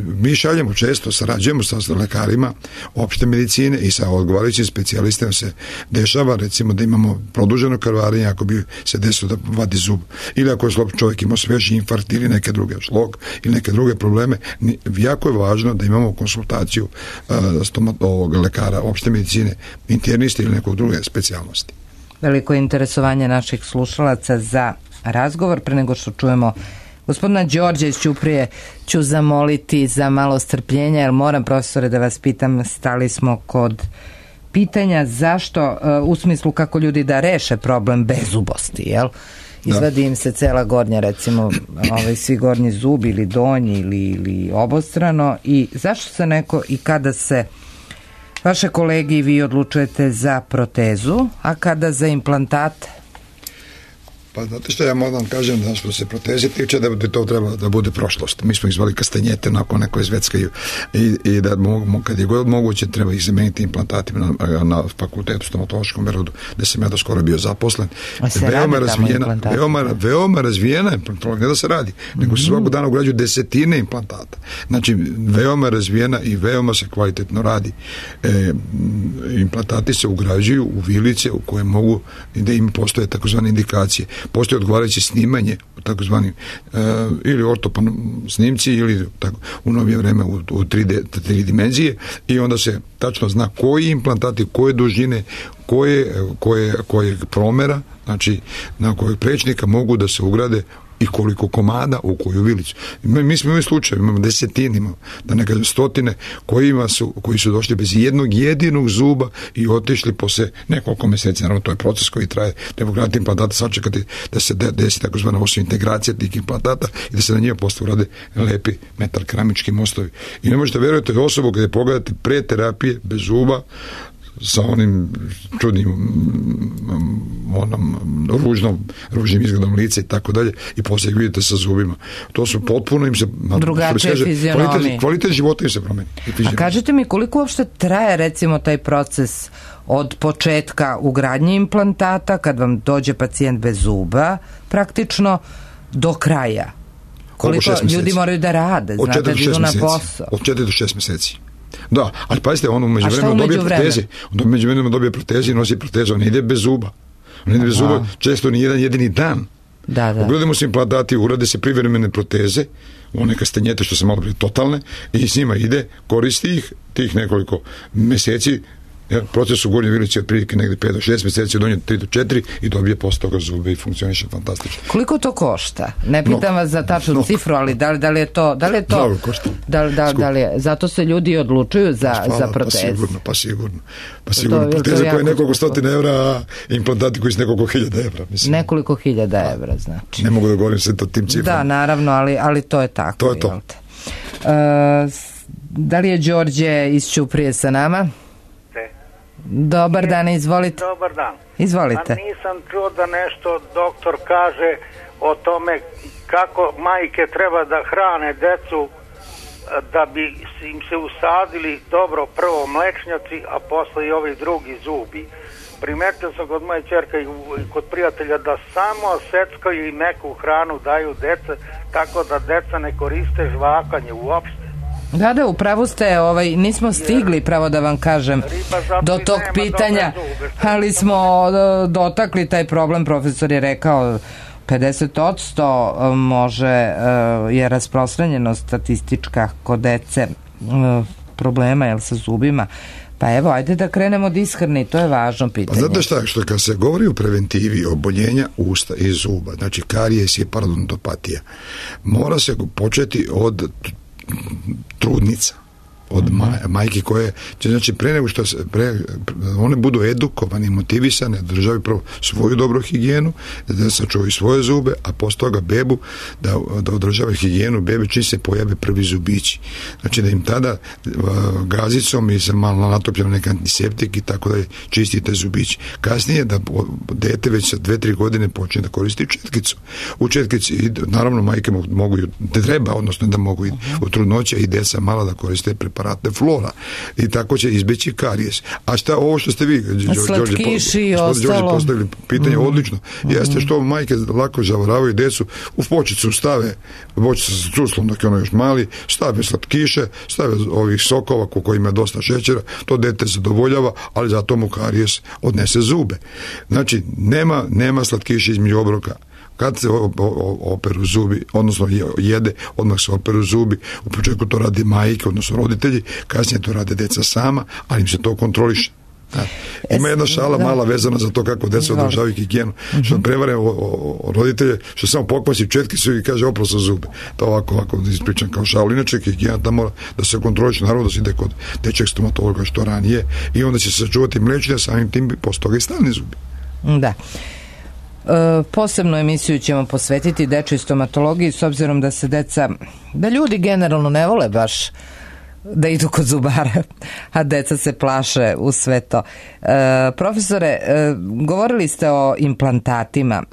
mi šaljemo često, sarađujemo sa lekarima opšte medicine i sa odgovarajućim specijalistima se dešava, recimo recimo da imamo produženo krvarenje ako bi se desilo da vadi zub, ili ako je čovjek imao sveži infarkt ili neke druge šlog ili neke druge probleme, jako je važno da imamo konsultaciju stomatologa, lekara opšte medicine, interniste ili nekog druge specijalnosti. Veliko interesovanje naših slušalaca za razgovor. Pre nego što čujemo gospodina Đorđa iz Ćuprije, ću zamoliti za malo strpljenja, jer moram, profesore, da vas pitam, stali smo kod pitanja zašto, u smislu kako ljudi da reše problem bezubosti, jel? Izvadi im se cela gornja, recimo, svi gornji zub ili donji ili obostrano, i zašto se neko i kada se vaše kolege i vi odlučujete za protezu, a kada za implantate? Pa znate što, ja moram kažem da što se proteze tiče da bi to trebalo da bude prošlost. Mi smo ih zvali kastanjete, nakon neko izveckaju i da kad je god moguće treba ih zameniti implantatima na fakultetu stomatološkom Berodu, gde sam ja do skoro bio zaposlen. Veoma razvijena implantologija, ne da se radi, nego se svakog dana ugrađuju desetine implantata. Znači, veoma razvijena i veoma se kvalitetno radi. Implantati se ugrađuju u vilice u koje mogu, da im postoje takozvane indikacije. Postoje odgovarajuće snimanje u takozvanim ili ortopan snimci ili tako, u novije vreme u 3 dimenzije, i onda se tačno zna koji implantati, koje dužine, koje promera, znači na kojeg prečnika mogu da se ugrade i koliko komada u koju vilicu. Mi smo imali slučaj, imamo desetine, da ne kažem stotine, koji su došli bez jednog jedinog zuba i otišli posle nekoliko meseci. Naravno, to je proces koji traje, treba ugraditi implantata, sačekati da se desi takozvana integracija tih implantata i da se na njima posle urade lepi metal keramički mostovi. I ne možete verujete osobu kada pogledate pre terapije bez zuba, sa onim čudnim ružnim izgledom lica i tako dalje, i poslije vidite sa zubima. To su potpuno im se drugačije fizionomije. Kvalitet života im se promeni. A kažete mi, koliko uopšte traje recimo taj proces od početka ugradnje implantata, kad vam dođe pacijent bez zuba, praktično do kraja? Koliko ljudi moraju da rade? Znate, da idu na posao? Od 4 do 6 meseci. Da, ali pazite, on umeđu vremenu dobije proteze i nosi protezu, on ne ide bez zuba. On ide bez zuba često ni jedan jedini dan. Ugradimo se implantati, urade se privremene proteze, one kastanjete što se malo prije totalne, i s njima ide, koristi ih tih nekoliko meseci. Proces u gornjoj vilici je prilike negde 5 do 6 meseci, od 3 do 4 i dobije posle toga zube i funkcioniše fantastično. Koliko to košta? Ne pitam vas za tačnu cifru, ali da li je to mnogo košta. Da li je, zato se ljudi odlučuju za proteze. Pa sigurno. Proteze koje je nekoliko stotina evra, a implantati koji su nekoliko hiljada evra. Nekoliko hiljada evra, znači. Ne mogu da govorim sve to tim ciframa. Da, naravno, ali to je tako. To je to. Da li je Đorđe iz Ćuprije sa nama? Dobar dan, izvolite. Dobar dan. Izvolite. A nisam čuo da nešto doktor kaže o tome kako majke treba da hrane decu da bi im se usadili dobro prvo mlečnjaci, a posle i ovi drugi zubi. Primetio sam kod moje ćerke i kod prijatelja da samo seckaju i meku hranu daju dece, tako da deca ne koriste žvakanje uopšte. Da, upravo ste, nismo stigli, pravo da vam kažem, do tog pitanja, ali smo dotakli taj problem. Profesor je rekao 50% je rasprostranjeno statistička kod dece problema sa zubima. Pa evo, ajde da krenemo od ishrane, to je važno pitanje. Znate šta, što kad se govori o preventivi oboljenja usta i zuba, znači karijes i parodontopatija, mora se početi od trudnica, od majke koje će, znači, pre nego što one budu edukovane i motivisane da održavaju prvo svoju dobru higijenu, da sačuvaju svoje zube, a posle toga bebu da održavaju higijenu bebe čim se pojave prvi zubići. Znači da im tada gazicom i sa malo natopljeno neki antiseptik i tako da čistite zubići. Kasnije da dete već sa 2-3 godine počne da koristi četkicu. U četkici, naravno, majke mogu, treba, odnosno da mogu u trudnoća i deca mala da koriste preparat aparate flora i tako će izbeći karijes. A šta ovo što ste vi slatkiši i ostalo postavili pitanje odlično, jeste što majke lako zavaravaju decu, u bočicu stave bočicu sa cuslom dok je ono još mali, stave slatkiše, stave ovih sokova kojima je dosta šećera, to dete zadovoljava, ali zato mu karijes odnese zube. Znači nema slatkiša između obroka. Kad se operu zubi, odnosno jede, odmah se operu zubi, u početku to rade majke, odnosno roditelji, kasnije to rade deca sama, ali im se to kontroliše. Ima jedna šala mala vezana za to kako deca održavaju higijenu, što prevare roditelje, što samo pokvasi četkicu i kaže oprao sa zube. To ovako ispričam kao šalu. Inače higijena da mora da se kontroliše, naravno da se ide kod dečjeg stomatologa što ranije i onda će se sačuvati mlečne, samim tim posle toga i stalni zubi. Da. Posebnu emisiju ćemo posvetiti dečjoj stomatologiji s obzirom da ljudi generalno ne vole baš da idu kod zubara, a deca se plaše u sve to. Profesore, govorili ste o implantatima.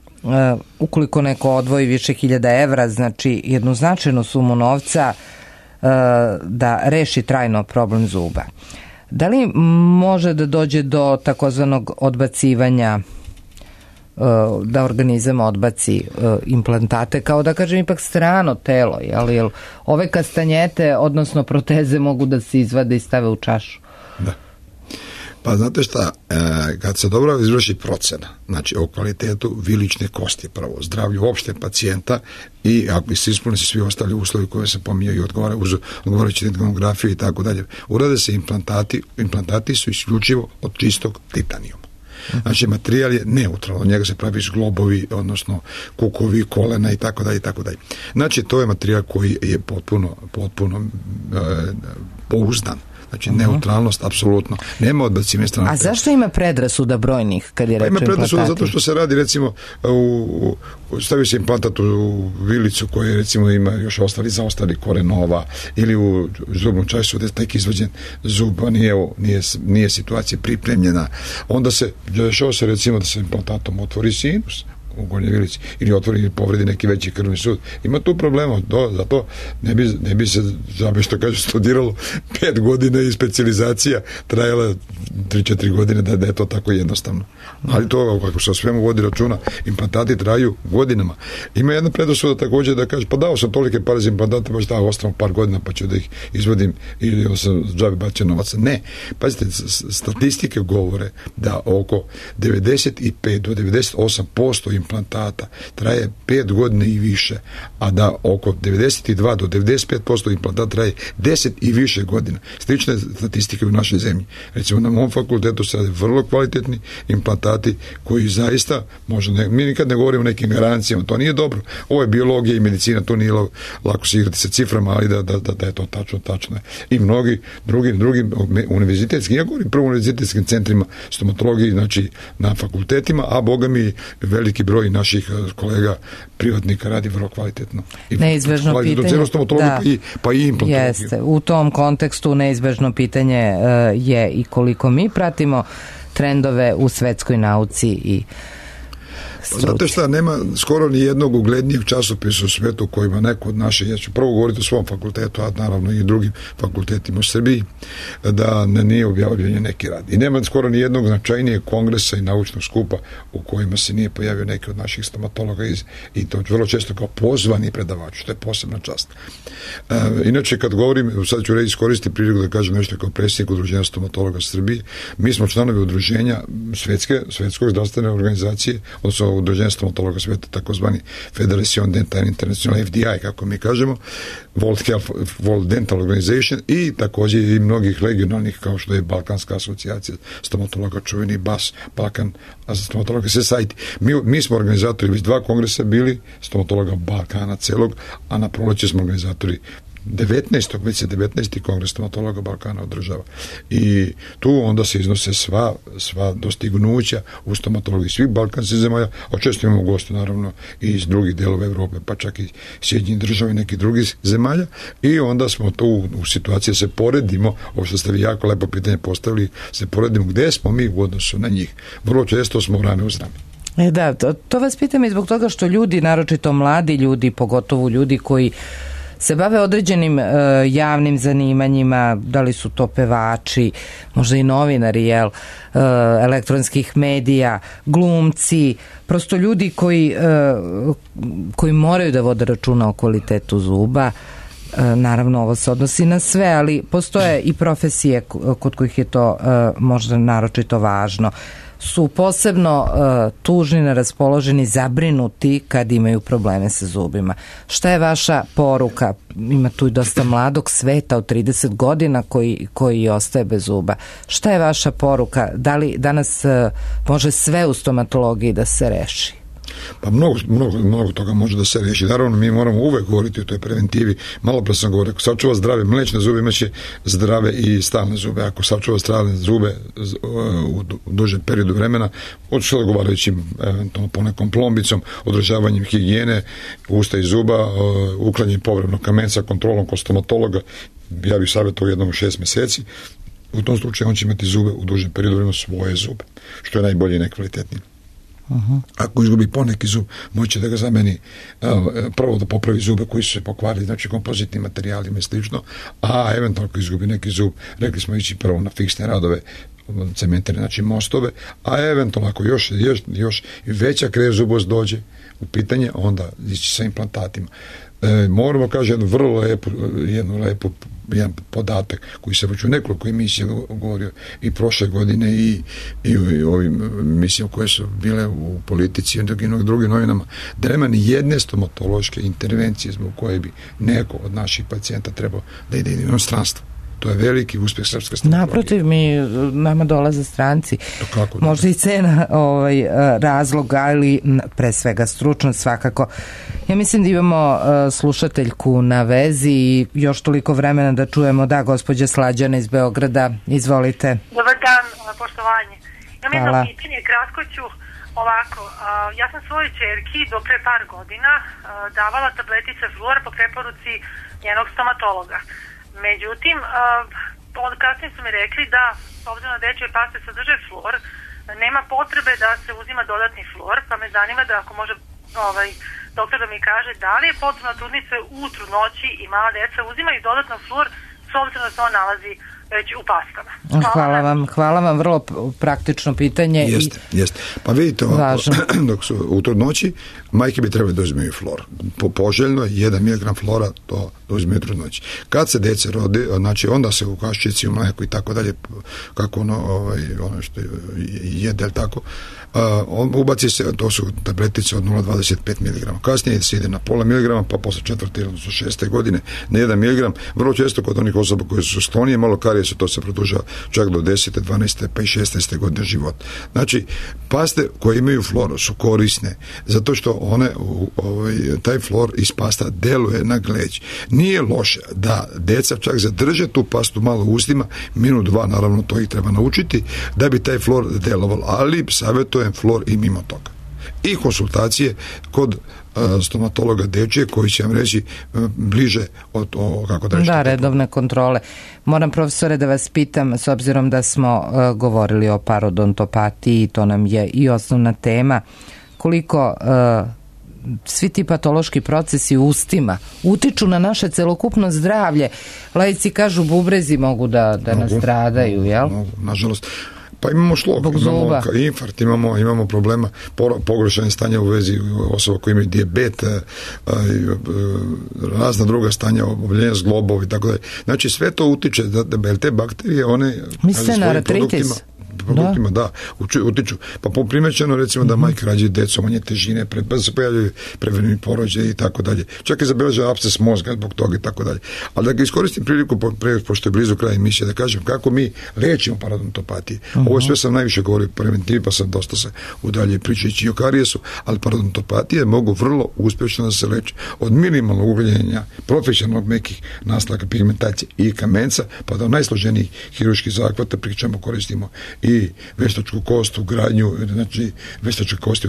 Ukoliko neko odvoji više hiljada evra, znači jednu značajnu sumu novca da reši trajno problem zuba. Da li može da dođe do takozvanog odbacivanja, da organizam odbaci implantate, kao da kažem ipak strano telo, jel ove kastanjete, odnosno proteze mogu da se izvade i stave u čašu? Da. Pa znate šta, kad se dobro izvrši procena, znači o kvalitetu vilične kosti, prvo zdravlju opšte pacijenta i ako se ispune se svi ostali uslovi koje se pominjaju i odgovarajući rentgenografiju i tako dalje, urade se implantati su isključivo od čistog titanijuma. Znači, materijal je neutralan, od njega se pravi globovi, odnosno kukovi, kolena i tako dalje, i tako dalje. Znači, to je materijal koji je potpuno pouzdan. Znači, neutralnost, apsolutno. Nema odbacivanja strana. A zašto ima predrasuda brojnih kad je reč o implantati? Ima predrasuda zato što se radi, recimo, stavi se implantat u vilicu koje, recimo, ima još zaostali korenova ili u zubnu čašicu gde je tek izvađen zub, a nije situacija pripremljena. Onda se dešava se, recimo, da se implantatom otvori sinus u gornjoj vilici ili otvori ili povredi neki veći krvni sud. Ima tu problema, zato ne bi se, žabe što kaže, studiralo 5 godina i specijalizacija trajala 3-4 godine da je to tako jednostavno. Ali to, kako se o svemu vodi računa, implantati traju godinama. Ima jedna predrasuda također da kaže, pa dao sam tolike pare za implantate, baš dao ostavim par godina pa ću da ih izvodim ili sam džabe bacio novaca. Ne. Pazite, statistike govore da oko 95 do 98% implantata traje 5 godina i više, a da oko 92 do 95% implantata traje 10 i više godina. Slične statistike u našoj zemlji. Recimo, na mom fakultetu se rade vrlo kvalitetni implantati koji zaista, mi nikad ne govorimo o nekim garancijama, to nije dobro. Ovo je biologija i medicina, to nije lako se igrati sa ciframa, ali da je to tačno. I mnogi drugi univerzitetskim, ja govorim prvo univerzitetskim centrima stomatologiji, znači na fakultetima, a boga mi veliki broj naših kolega privatnika radi vrlo kvalitetno. Neizbežno pitanje, pa i implantu. Jeste, u tom kontekstu neizbežno pitanje je i koliko mi pratimo trendove u svetskoj nauci i struci. Znate šta, nema skoro ni jednog uglednijeg časopisa u svetu kojima neko od naše, ja ću prvo govoriti o svom fakultetu, a naravno i drugim fakultetima u Srbiji, da nije objavljeno neki rad. I nema skoro ni jednog značajnijeg kongresa i naučnog skupa u kojima se nije pojavio neki od naših stomatologa i to vrlo često kao pozvani predavač, što je posebna čast. Inače, kad govorim, sad ću iskoristiti priliku da kažem nešto kao predsjednik Udruženja stomatologa Srbije. Mi smo članovi udruženja svetskog zdravstvene organizacije, odnosno Udruženja stomatologa sveta, takozvani Federation Dental International, FDI, kako mi kažemo, World Dental Organization, i također i mnogih regionalnih, kao što je Balkanska asocijacija stomatologa, čuveni BAS, Balkan stomatologa Society. Mi smo organizatori već 2 kongresa bili stomatologa Balkana celog, a na proleće smo organizatori 19. kongres stomatologa Balkana održava. I tu onda se iznose sva dostignuća u stomatologiji svih balkanskih zemalja, a često imamo goste naravno i iz drugih delova Evrope, pa čak i Sjedinjenih država i nekih drugih zemalja, i onda smo tu u situaciji da se poredimo, ovo što ste vi jako lepo pitanje postavili, se poredimo gde smo mi u odnosu na njih. Vrlo često smo rame uz rame. Da, to vas pitam i zbog toga što ljudi, naročito mladi ljudi, pogotovo ljudi koji se bave određenim javnim zanimanjima, da li su to pevači, možda i novinari, elektronskih medija, glumci, prosto ljudi koji moraju da vode računa o kvalitetu zuba. Naravno, ovo se odnosi na sve, ali postoje i profesije kod kojih je to možda naročito važno. Su posebno tužni, neraspoloženi, zabrinuti kad imaju probleme sa zubima. Šta je vaša poruka? Ima tu i dosta mladog sveta od 30 godina koji ostaje bez zuba. Šta je vaša poruka? Da li danas može sve u stomatologiji da se reši? Pa mnogo toga može da se reši. Naravno, mi moramo uvek govoriti o toj preventivi. Malo pre sam govorio, ako sačuva zdrave mlečne zube, imaće zdrave i stalne zube. Ako sačuva stalne zube u dužem periodu vremena, od odgovarajućim eventualno ponekom plombicom, održavanjem higijene usta i zuba, uklanjanjem povremenog kamenca, kontrolom kod stomatologa, ja bih savjetovao jednom u 6 meseci, u tom slučaju on će imati zube u dužem periodu vremena, svoje zube, što je najbolje i najkvalitetnije. Ako izgubi poneki zub, moće da ga zameni, prvo da popravi zube koji su se pokvarili, znači kompozitnim materijalima i slično, a eventualno ako izgubi neki zub, rekli smo ići prvo na fiksne radove, cementare, znači mostove, a eventualno ako još veća krezubost dođe u pitanje, onda ići sa implantatima. Moramo kaži jedan podatak koji se već u nekoliko emisija govorio i prošle godine i u ovim emisijama koje su bile u Politici i drugim novinama, da nema ni jedne stomatološke intervencije zbog koje bi neko od naših pacijenta trebao da ide u inostranstvo. To je veliki uspjeh srpske stomatologije. Naprotiv, nama dolaze stranci. Možda i cena razloga, ali pre svega stručnost svakako. Ja mislim da imamo slušateljku na vezi i još toliko vremena da čujemo. Da, gospođa Slađana iz Beograda, izvolite. Dobar dan, poštovanje. Imam jedno pitanje, kratko ću ovako. Ja sam svojoj ćerki do pre par godina davala tabletice fluora po preporuci njenog stomatologa. Međutim, kasnije su mi rekli da, s obzirom na dečje paste sadrže fluor, nema potrebe da se uzima dodatni fluor, pa me zanima da ako može doktor da mi kaže da li je potrebno trudnice u trudnoći i mala deca uzimaju dodatno fluor s obzirom da se on nalazi već u pastama. Hvala vam, vrlo praktično pitanje. Jeste. Pa vidite ovako, dok su u trudnoći, majke bi trebali da uzimaju flor. Poželjno je 1 mg flora, to da uzimaju trudnoći. Kad se dece rodi, znači onda se u kaščici, u mleku i tako dalje, kako ono što jede, tako, ubaci se, to su tabletice od 0,25 mg. Kasnije se ide na pola miligrama, pa posle 4. odnosno 6. godine na 1 mg. Vrlo često kod onih osoba koje su sklonije malo karijesa, to se produžava čak do 10. 12. pa i 16. godine života. Znači, paste koje imaju fluor su korisne, zato što one, taj fluor iz pasta deluje na gleđ. Nije loše da deca čak zadrže tu pastu malo u ustima, minut, 2, naravno to ih treba naučiti, da bi taj fluor delovalo, ali savjetujem fluor i mimo toga. I konsultacije kod stomatologa dečje koji će vam reći bliže od kako da reći. Da, redovne kontrole. Moram, profesore, da vas pitam, s obzirom da smo govorili o parodontopatiji, to nam je i osnovna tema, koliko svi ti patološki procesi u ustima utiču na naše celokupno zdravlje. Laici kažu bubrezi mogu da nastradaju, jel? Nažalost. Pa imamo šlog, imamo infarkt, imamo problema, pogoršanje stanja u vezi osoba koji imaju dijabet, razna druga stanja, oboljenja zglobova i tako dalje. Znači sve to utiče, da te bakterije, one svojim produktima utiču. Pa primećeno recimo da majke rađaju decu, manje težine, se pojavljaju prevremeni porođaj i tako dalje. Čak i zabeležava apses mozga zbog toga i tako dalje. Ali da ga iskoristim priliku, pošto je blizu kraja emisije, da kažem kako mi lečimo parodontopatiju. Ovo sve sam najviše govorio o preventivi, pa sam dosta se udalje pričajući o karijesu, ali parodontopatije mogu vrlo uspješno da se leči od minimalnog ugljenja profesionalnog mekih naslaka pigmentacije i kamenca, pa do najsloženijih hirurških zahvata, pri čemu koristimo i veštačku kost u gradnju, znači veštačke kosti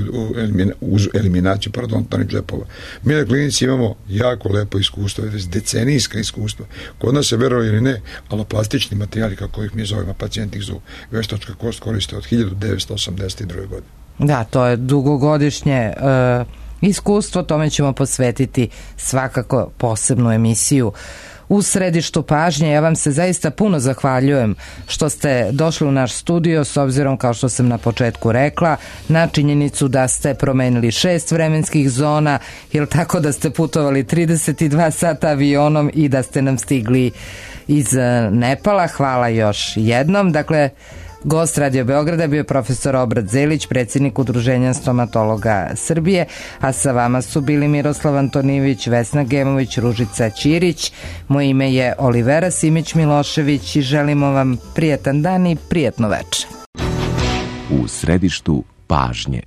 uz eliminaciju parodontalnih džepova. Mi na klinici imamo jako lepo iskustvo, decenijska iskustva. Kod nas se, verovali ili ne, aloplastični materijali, kako ih mi zovemo, pacijenti ih zovu, veštačka kost koriste od 1982. godine. Da, to je dugogodišnje iskustvo, tome ćemo posvetiti svakako posebnu emisiju. U središtu pažnje, ja vam se zaista puno zahvaljujem što ste došli u naš studio, s obzirom, kao što sam na početku rekla, na činjenicu da ste promenili 6 vremenskih zona, ili tako da ste putovali 32 sata avionom i da ste nam stigli iz Nepala. Hvala još jednom. Dakle, gost Radio Beograda bio je profesor Obrat Zelić, predsjednik Udruženja stomatologa Srbije, a sa vama su bili Miroslav Antonijević, Vesna Gemović, Ružica Ćirić. Moje ime je Olivera Simić-Milošević i želimo vam prijetan dan i prijetno večer. U središtu pažnje.